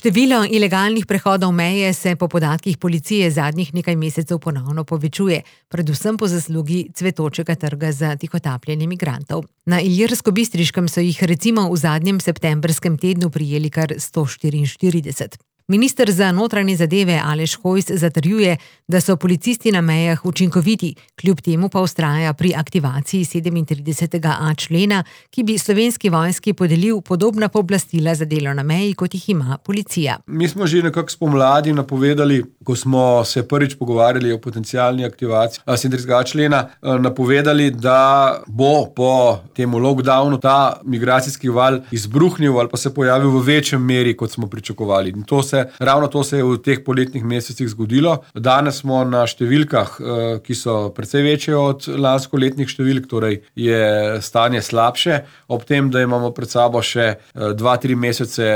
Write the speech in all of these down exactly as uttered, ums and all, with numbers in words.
Število ilegalnih prehodov meje se po podatkih policije zadnjih nekaj mesecev ponovno povečuje, predvsem po zaslugi cvetočega trga za tihotapljenje migrantov. Na Ilirskobistriškem so jih recimo v zadnjem septembrskem tednu prijeli kar sto štiriinštirideset. Minister za notranje zadeve Aleš Hojs zatrjuje, da so policisti na mejah učinkoviti, kljub temu pa vztraja pri aktivaciji sedemintridesetega a člena, ki bi slovenski vojski podelil podobna pooblastila za delo na meji, kot jih ima policija. Mi smo že nekako spomladi napovedali, ko smo se prvič pogovarjali o potencialni aktivaciji sedemintridesetega a člena, napovedali, da bo po temu lockdownu ta migracijski val izbruhnil ali pa se pojavil v večjem meri, kot smo pričakovali. In to se Ravno to se je v teh poletnih mesecih zgodilo. Danes smo na številkah, ki so precej večje od lanskoletnih številk, torej je stanje slabše, ob tem, da imamo pred sabo še dva, tri mesece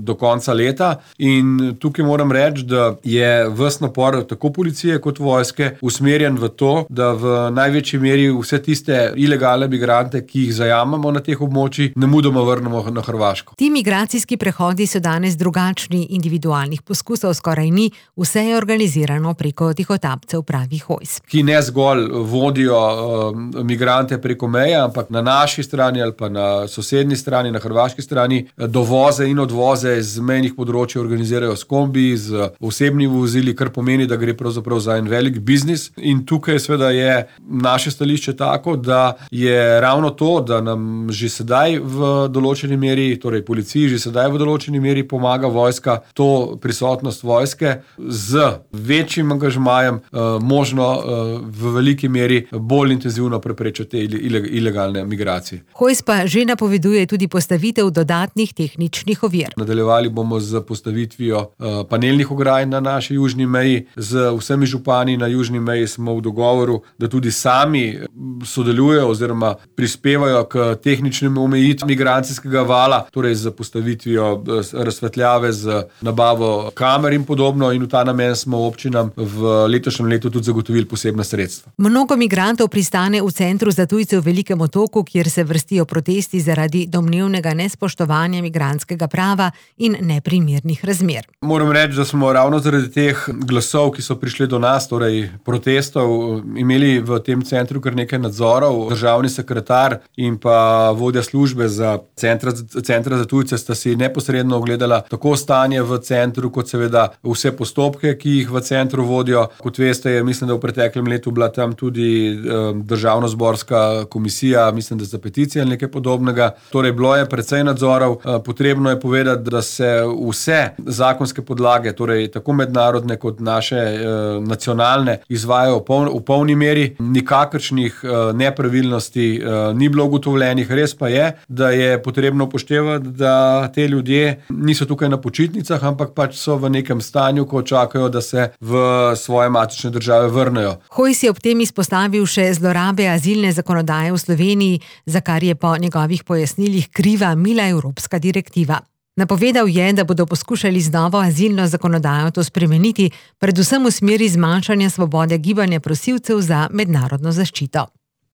do konca leta. In tukaj moram reči, da je ves napor tako policije kot vojske usmerjen v to, da v največji meri vse tiste ilegalne migrante, ki jih zajamemo na teh območjih, nemudoma vrnemo na Hrvaško. Ti migracijski prehodi so danes drugačni. Individualnih poskusov skoraj ni, vse je organizirano preko tihotapcev, pravi Hojs. Ki ne zgolj vodijo uh, migrante preko meje, ampak na naši strani ali pa na sosednji strani, na hrvaški strani, dovoze in odvoze iz mejnih področij organizirajo s kombi, z osebnimi vozili, kar pomeni, da gre pravzaprav za en velik biznis. In tukaj seveda je naše stališče tako, da je ravno to, da nam že sedaj v določeni meri, torej policiji že sedaj v določeni meri pomaga vojska, to prisotnost vojske z večjim angažmajem uh, možno uh, v veliki meri bolj intenzivno preprečiti te ilegalne migracije. Hojs pa že napoveduje tudi postavitev dodatnih tehničnih ovir. Nadaljevali bomo z postavitvijo uh, panelnih ograj na naši južni meji. Z vsemi župani na južni meji smo v dogovoru, da tudi sami sodelujejo oziroma prispevajo k tehničnim omejitvam migracijskega vala, torej z postavitvijo uh, razsvetljave, z nabavo kamer in podobno, in v ta namen smo občinam v letošnjem letu tudi zagotovili posebna sredstva. Mnogo migrantov pristane v centru za tujce v Velikem Otoku, kjer se vrstijo protesti zaradi domnevnega nespoštovanja migrantskega prava in neprimernih razmer. Moram reči, da smo ravno zaradi teh glasov, ki so prišli do nas, torej protestov, imeli v tem centru kar nekaj nadzorov. Državni sekretar in pa vodja službe za centra, centra za tujce sta si neposredno ogledala tako stanje v centru, kot seveda vse postopke, ki jih v centru vodijo. Kot veste, je, mislim, da v preteklem letu bila tam tudi um, državno-zborska komisija, mislim, da za peticije ali nekaj podobnega. Torej, bilo je precej nadzorov. Uh, potrebno je povedati, da se vse zakonske podlage, torej tako mednarodne kot naše uh, nacionalne, izvajajo v, poln, v polni meri. Nikakršnih uh, nepravilnosti uh, ni bilo ugotovljenih. Res pa je, da je potrebno upoštevati, da te ljudje niso tukaj na počitnicah, ampak pač so v nekem stanju, ko čakajo, da se v svoje matične države vrnejo. Hojs je ob tem izpostavil še zlorabe azilne zakonodaje v Sloveniji, za kar je po njegovih pojasnilih kriva mila evropska direktiva. Napovedal je, da bodo poskušali z novo azilno zakonodajo to spremeniti, predvsem v smeri zmanjšanja svobode gibanja prosilcev za mednarodno zaščito.